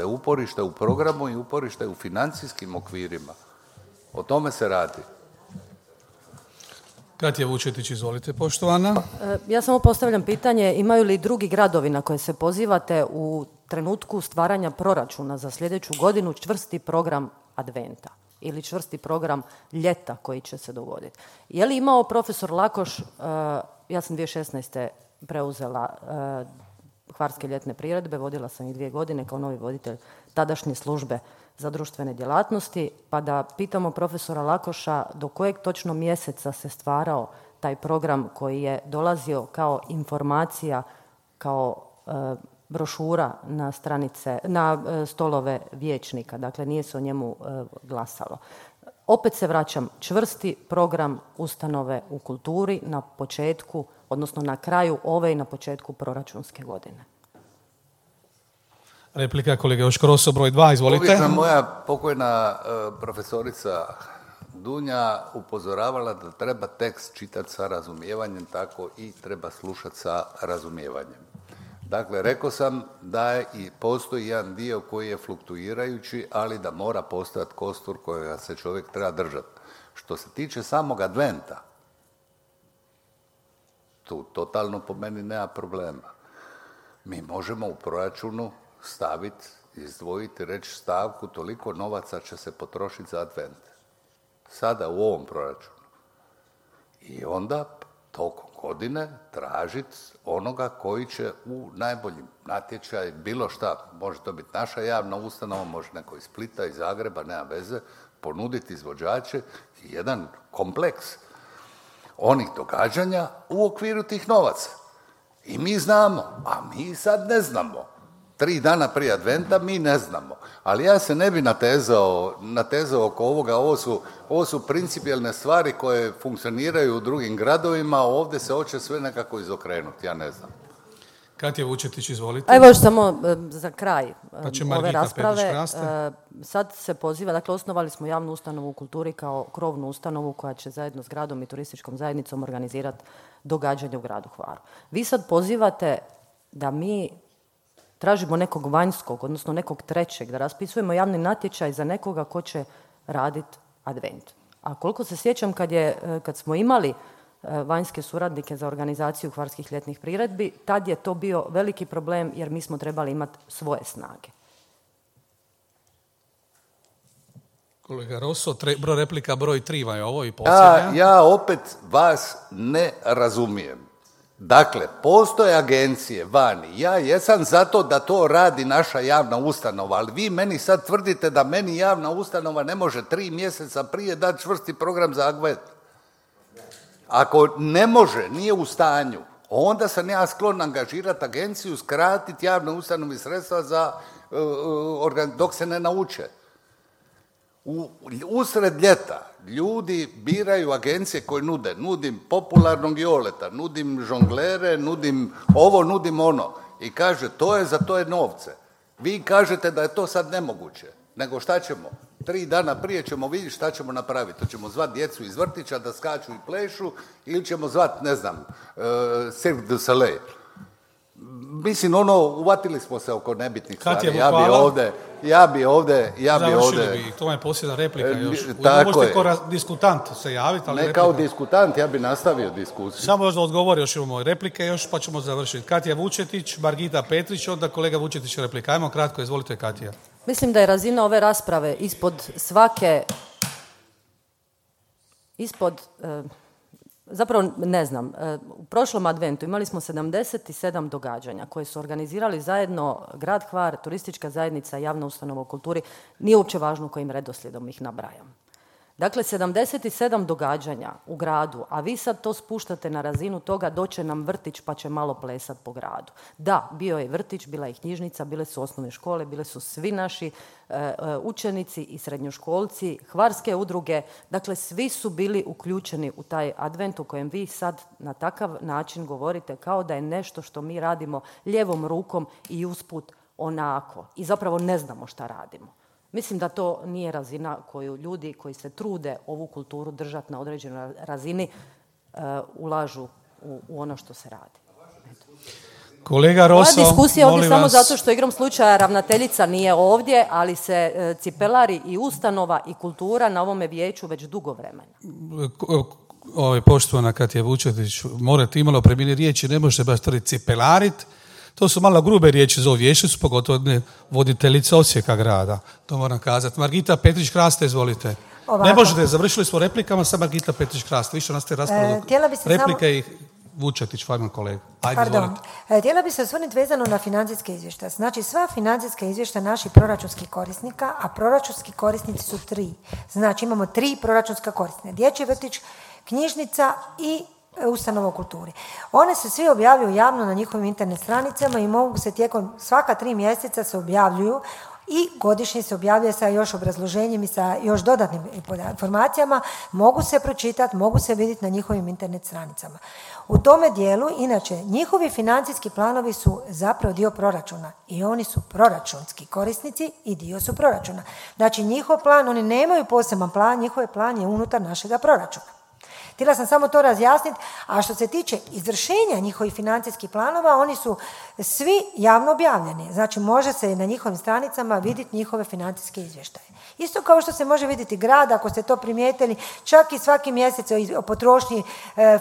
uporište u programu i uporište u financijskim okvirima. O tome se radi. Katja Vučetić, izvolite, poštovana. Ja samo postavljam pitanje, imaju li drugi gradovi na koje se pozivate u trenutku stvaranja proračuna za sljedeću godinu čvrsti program adventa ili čvrsti program ljeta koji će se dogoditi? Je li imao profesor Lakoš, ja sam 2016. preuzela Hvarske ljetne priredbe, vodila sam ih 2 godine kao novi voditelj tadašnje službe za društvene djelatnosti, pa da pitamo profesora Lakoša do kojeg točno mjeseca se stvarao taj program koji je dolazio kao informacija, kao brošura na stranice, na stolove vijećnika, dakle nije se o njemu glasalo. Opet se vraćam, čvrsti program ustanove u kulturi na početku, odnosno na kraju ove i na početku proračunske godine. Replika kolega Joško Rosso, broj 2, izvolite. Moja pokojna profesorica Dunja upozoravala da treba tekst čitati sa razumijevanjem, tako i treba slušati sa razumijevanjem. Dakle, rekao sam da i postoji jedan dio koji je fluktuirajući, ali da mora postojati kostur kojega se čovjek treba držati. Što se tiče samog adventa, tu totalno po meni nema problema. Mi možemo u proračunu staviti, izdvojiti, reći stavku, toliko novaca će se potrošiti za advent. Sada u ovom proračunu. I onda tokom godine tražiti onoga koji će u najbolji natječaj, bilo šta, može to biti naša javna ustanova, može neko iz Splita, iz Zagreba, nema veze, ponuditi izvođače i jedan kompleks onih događanja u okviru tih novaca. I mi znamo, a mi sad ne znamo. 3 dana prije adventa mi ne znamo. Ali ja se ne bi natezao oko ovoga. Ovo su principijelne stvari koje funkcioniraju u drugim gradovima, a ovdje se hoće sve nekako izokrenuti, ja ne znam. Katja Vučetić, izvolite. Evo još samo za kraj pa ove rasprave. Sad se poziva, dakle osnovali smo javnu ustanovu u kulturi kao krovnu ustanovu koja će zajedno s gradom i turističkom zajednicom organizirati događanje u gradu Hvaru. Vi sad pozivate da mi tražimo nekog vanjskog, odnosno nekog trećeg, da raspisujemo javni natječaj za nekoga ko će raditi advent. A koliko se sjećam kad smo imali vanjske suradnike za organizaciju hvarskih ljetnih priredbi, tad je to bio veliki problem jer mi smo trebali imati svoje snage. Kolega Rosso, replika broj 3 vam je ovo i posljednja. Ja opet vas ne razumijem. Dakle, postoje agencije vani, ja jesam zato da to radi naša javna ustanova, ali vi meni sad tvrdite da meni javna ustanova ne može 3 mjeseca prije dati čvrsti program za advent. Ako ne može, nije u stanju, onda sam ja sklon angažirati agenciju, skratiti javne ustanovi sredstva dok se ne nauče. Usred ljeta ljudi biraju agencije koje nudim popularnog Joleta, nudim žonglere, nudim ovo, nudim ono i kaže za to je novce. Vi kažete da je to sad nemoguće, nego šta ćemo? 3 dana prije ćemo vidjeti šta ćemo napraviti. To ćemo zvati djecu iz vrtića da skaču i plešu ili ćemo zvati, ne znam, Cirque du Soleil. Mislim, uvatili smo se oko nebitnih stvari. Ja bi ovdje... Završili bi, to je posljedna replika još. Tako je. Možete diskutant se javiti, ali ne replika. Kao diskutant, ja bi nastavio diskusiju. Samo još da odgovori, još imamo replike još, pa ćemo završiti. Katja Vučetić, Margita Petrić, onda kolega Vučetić replika. Ajmo kratko, izvolite Katja. Mislim da je razina ove rasprave zapravo ne znam, u prošlom adventu imali smo 77 događanja koje su organizirali zajedno Grad Hvar, Turistička zajednica, Javna ustanova u kulturi, nije uopće važno kojim redoslijedom ih nabrajam. Dakle, 77 događanja u gradu, a vi sad to spuštate na razinu toga doće nam vrtić pa će malo plesat po gradu. Da, bio je vrtić, bila je knjižnica, bile su osnovne škole, bile su svi naši učenici i srednjoškolci, hvarske udruge, dakle svi su bili uključeni u taj advent u kojem vi sad na takav način govorite kao da je nešto što mi radimo lijevom rukom i usput onako i zapravo ne znamo šta radimo. Mislim da to nije razina koju ljudi koji se trude ovu kulturu držati na određenoj razini ulažu u ono što se radi. Kolega Roso, moja diskusija ovdje samo vas... zato što igrom slučaja ravnateljica nije ovdje, ali se cipelari i ustanova i kultura na ovome vijeću već dugo vremena. Poštovana Katja Vučetić, morate imalo premijeni riječi, ne možete baš tvrditi cipelarit. To su malo grube riječi za ovu vijećnicu, pogotovo voditeljica Osijeka grada. To moram kazati. Margita Petrić-Kraste, izvolite. Ovako. Ne možete, završili smo replikama sa Margita Petrić-Kraste. Više nastaje rasprava replike i Vučetić, Farman kolega. Ajde, izvolite. Htjela bi se osvrnuti vezano na financijske izvještaje. Znači, sva financijska izvještaja naših proračunskih korisnika, a proračunski korisnici su 3. Znači, imamo 3 proračunska korisnika. Dječji vrtić, knjižnica i ustanova u kulturi. One se svi objavljuju javno na njihovim internet stranicama i mogu se tijekom svaka 3 mjeseca se objavljuju i godišnje se objavljuje sa još obrazloženjem i sa još dodatnim informacijama, mogu se pročitati, mogu se vidjeti na njihovim internet stranicama. U tome dijelu, inače, njihovi financijski planovi su zapravo dio proračuna i oni su proračunski korisnici i dio su proračuna. Znači, njihov plan, oni nemaju poseban plan, njihov plan je unutar našega proračuna. Htjela sam samo to razjasniti, a što se tiče izvršenja njihovih financijskih planova, oni su svi javno objavljeni. Znači, može se na njihovim stranicama vidjeti njihove financijske izvještaje. Isto kao što se može vidjeti grad, ako ste to primijetili, čak i svaki mjesec o potrošnji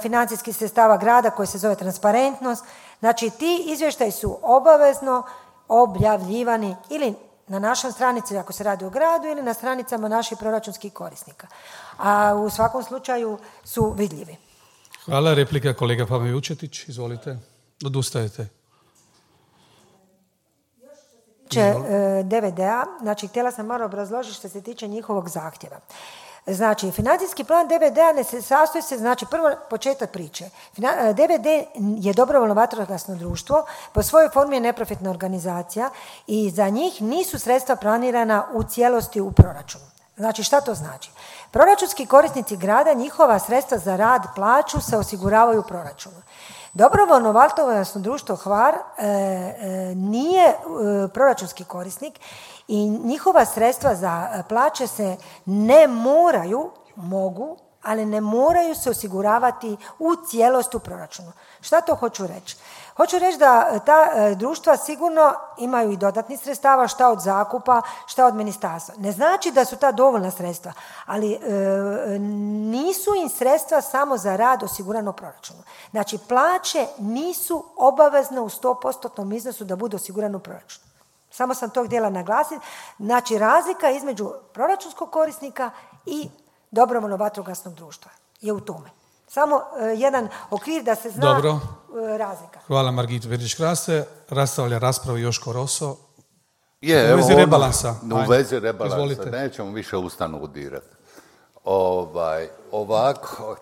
financijskih sredstava grada koji se zove transparentnost. Znači, ti izvještaji su obavezno objavljivani ili na našoj stranici ako se radi o gradu ili na stranicama naših proračunskih korisnika. A u svakom slučaju su vidljivi. Hvala. Replika kolega Pavle Vučetić. Izvolite. Odustajete. DVD-a, znači htjela sam malo obrazložiti što se tiče njihovog zahtjeva. Znači, financijski plan DVD-a ne se sastoji se, znači prvo početak priče. DVD je dobrovoljno vatrogasno društvo, po svojoj formi je neprofitna organizacija i za njih nisu sredstva planirana u cijelosti u proračunu. Znači, šta to znači? Proračunski korisnici grada, njihova sredstva za rad, plaću se osiguravaju u proračunu. Dobrovoljno vatrogasno društvo Hvar nije proračunski korisnik i njihova sredstva za plaće se ne moraju, mogu, ali ne moraju se osiguravati u cijelosti u proračunu. Šta to hoću reći? Hoću reći da ta društva sigurno imaju i dodatnih sredstava, šta od zakupa, šta od ministarstva. Ne znači da su ta dovoljna sredstva, ali nisu im sredstva samo za rad osigurano u proračunu. Znači, plaće nisu obavezne u 100% iznosu da budu osigurane u proračunu. Samo sam to htjela naglasiti. Znači, razlika između proračunskog korisnika i dobrovoljno vatrogasnog društva je u tome. Samo jedan okvir da se zna. Dobro. Razlika. Hvala Margita Petrić-Kraste. Rastavlja raspravu Joško Roso. U vezi rebalansa. U vezi rebalansa. Izvolite. Nećemo više ustanovu dirati. Ovako,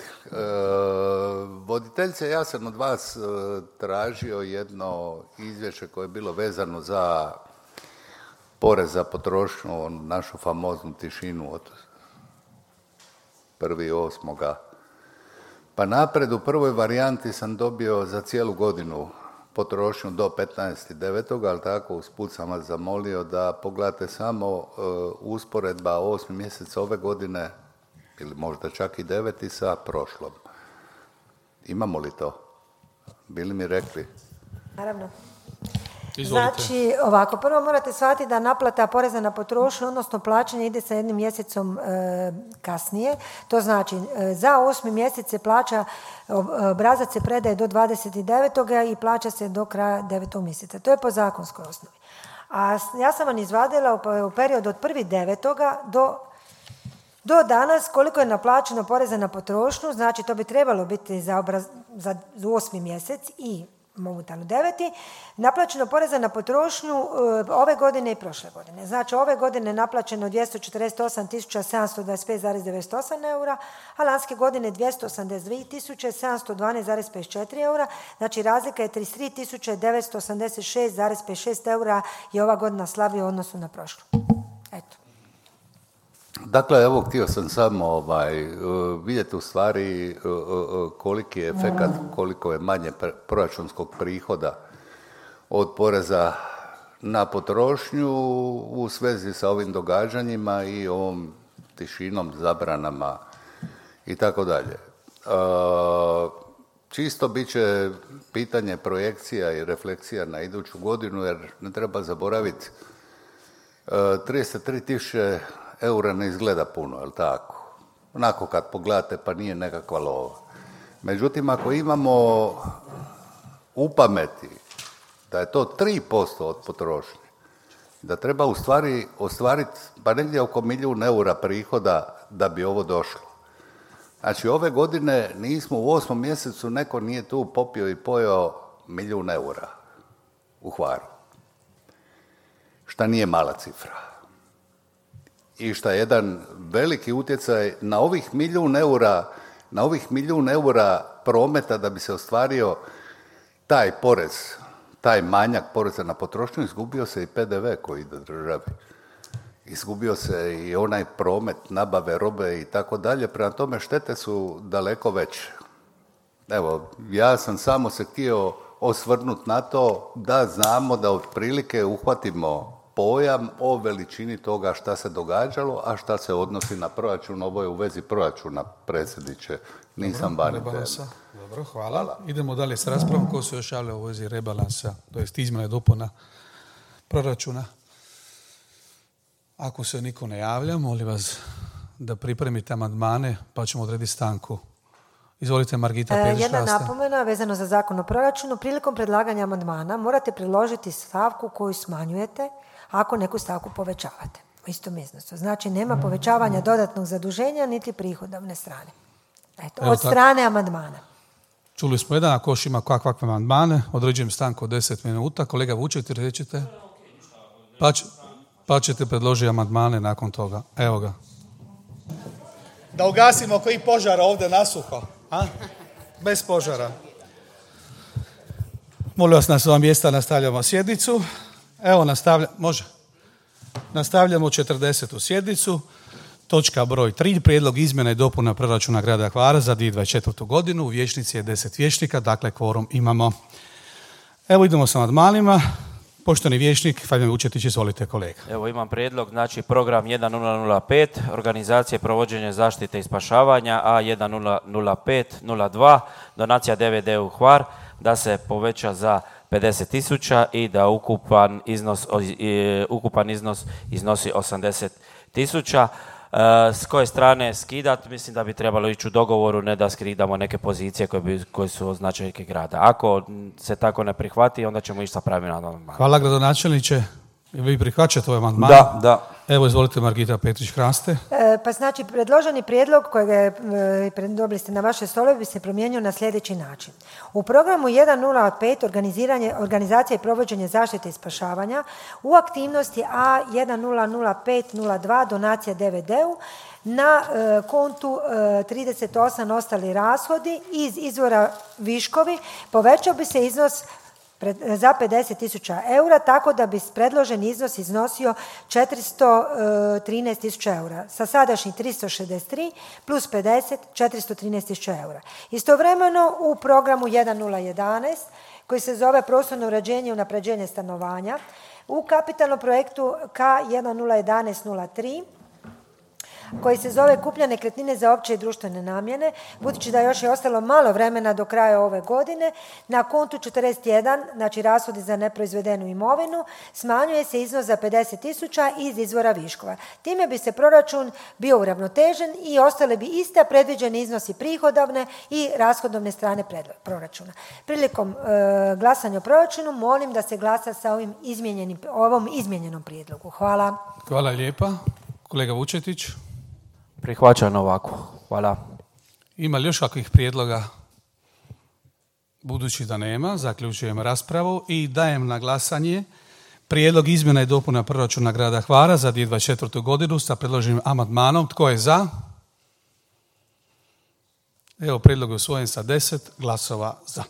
voditeljice, ja sam od vas tražio jedno izvješće koje je bilo vezano za porez za potrošnju, našu famoznu tišinu od 1.8. Pa napred u prvoj varijanti sam dobio za cijelu godinu potrošnju do 15.9., ali tako usput sam vas zamolio da pogledate samo usporedba 8. mjesec ove godine, ili možda čak i 9. sa prošlom. Imamo li to? Bili mi rekli? Naravno. Izvolite. Znači, ovako, prvo morate shvatiti da naplata poreza na potrošnju, odnosno plaćanje ide sa jednim mjesecom kasnije. To znači, za 8. mjesec se plaća, obrazac se predaje do 29. i plaća se do kraja 9. mjeseca. To je po zakonskoj osnovi. A ja sam vam izvadila u periodu od 1.9. do danas koliko je naplaćeno poreza na potrošnju, znači to bi trebalo biti za 8. mjesec i momentalno 9. Naplaćeno poreza na potrošnju ove godine i prošle godine. Znači ove godine naplaćeno 248.725,98 eura, a lanske godine 282.712,54 eura. Znači razlika je 33.986,56 eura je ova godina slabija u odnosu na prošlu. Eto. Dakle, evo, htio sam samo vidjeti u stvari koliki je efekat, koliko je manje proračunskog prihoda od poreza na potrošnju u svezi sa ovim događanjima i ovom tišinom, zabranama i tako dalje. Čisto bit će pitanje projekcija i refleksija na iduću godinu, jer ne treba zaboraviti 33.000 eura ne izgleda puno, je li tako? Onako kad pogledate pa nije nekakva lova. Međutim, ako imamo u pameti da je to 3% od potrošnje, da treba u stvari ostvariti pa negdje oko 1 milijun eura prihoda da bi ovo došlo. Znači, ove godine nismo u 8. mjesecu, neko nije tu popio i pojeo 1 milijun eura u Hvaru. Šta nije mala cifra. I šta je jedan veliki utjecaj na ovih 1 milijun eura prometa da bi se ostvario taj porez, taj manjak poreza na potrošnju, izgubio se i PDV koji ide državi. Izgubio se i onaj promet nabave robe i tako dalje, prema tome štete su daleko veće. Evo, ja sam samo se htio osvrnuti na to da znamo da otprilike uhvatimo pojam o veličini toga šta se događalo, a šta se odnosi na proračun. Ovo je u vezi proračuna, predsjedniče, nisam bani teme. Dobro, hvala. Idemo dalje s raspravom. Ko se još javlja u vezi rebalansa, to jest izmjena i dopuna proračuna? Ako se niko ne javlja, molim vas da pripremite amandmane, pa ćemo odrediti stanku. Izvolite, Margita Perić. Jedna napomena vezano za zakon o proračunu. Prilikom predlaganja amandmana morate predložiti stavku koju smanjujete ako neku stavku povećavate u istom iznosu. Znači, nema povećavanja dodatnog zaduženja niti prihodovne strane. Eto, od strane amandmana. Čuli smo jedan, ako još ima kakve amandmane, određujem stanku od 10 minuta. Kolega Vučet, rećete? Pa ćete predložiti amandmane nakon toga. Evo ga. Da ugasimo koji požara ovdje nasuho. A? Bez požara. Molim vas na sva mjesta, nastavljamo sjednicu. Evo, nastavljamo 40. sjednicu. Točka broj 3. Prijedlog izmjena i dopuna proračuna grada Hvara za 2024. godinu. U vijećnici je 10 vijećnika, dakle kvorum imamo. Evo, idemo sa amandmanima. Poštovani vijećnik Fabijan Vučetić, izvolite, kolega. Evo, imam prijedlog, znači program 1005, organizacije provođenja zaštite i spašavanja, a 100502, donacija DVD u Hvar, da se poveća za 50.000 i da ukupan iznos iznosi 80.000. S koje strane skidat, mislim da bi trebalo ići u dogovoru, ne da skidamo neke pozicije koje su od značajke grada. Ako se tako ne prihvati, onda ćemo ići sa pravim amandmanom. Hvala, gradonačelniče. Vi prihvaćate ovaj amandman? Da. Evo, izvolite, Margita Petrić-Hraste. Pa znači, predloženi prijedlog kojeg dobili ste na vaše stolove bi se promijenio na sljedeći način. U programu 105 organizacija i provođenje zaštite i spašavanja u aktivnosti A100502 donacija DVD-u na kontu 38 ostali rashodi iz izvora viškovi povećao bi se iznos za 50.000 eura, tako da bi predloženi iznos iznosio 413.000 eura. Sa sadašnjih 363 plus 50, 413.000 eura. Istovremeno u programu 1011, koji se zove prostorno uređenje i unapređenje stanovanja, u kapitalnom projektu K101103, koji se zove Kupnja nekretnine za opće i društvene namjene, budući da još je ostalo malo vremena do kraja ove godine, na kontu 41, znači rashodi za neproizvedenu imovinu, smanjuje se iznos za 50.000 iz izvora viškova. Time bi se proračun bio uravnotežen i ostale bi iste predviđeni iznosi prihodovne i rashodovne strane proračuna. Prilikom glasanja o proračunu molim da se glasa sa ovom izmijenjenom prijedlogu. Hvala. Hvala lijepa. Kolega Vučetić. Prihvaćam ovako. Hvala. Ima li još kakvih prijedloga? Budući da nema, zaključujem raspravu i dajem na glasanje prijedlog izmjena i dopuna proračuna grada Hvara za 2024. godinu sa predloženim amandmanom. Tko je za? Evo, prijedlog je usvojen sa 10 glasova za.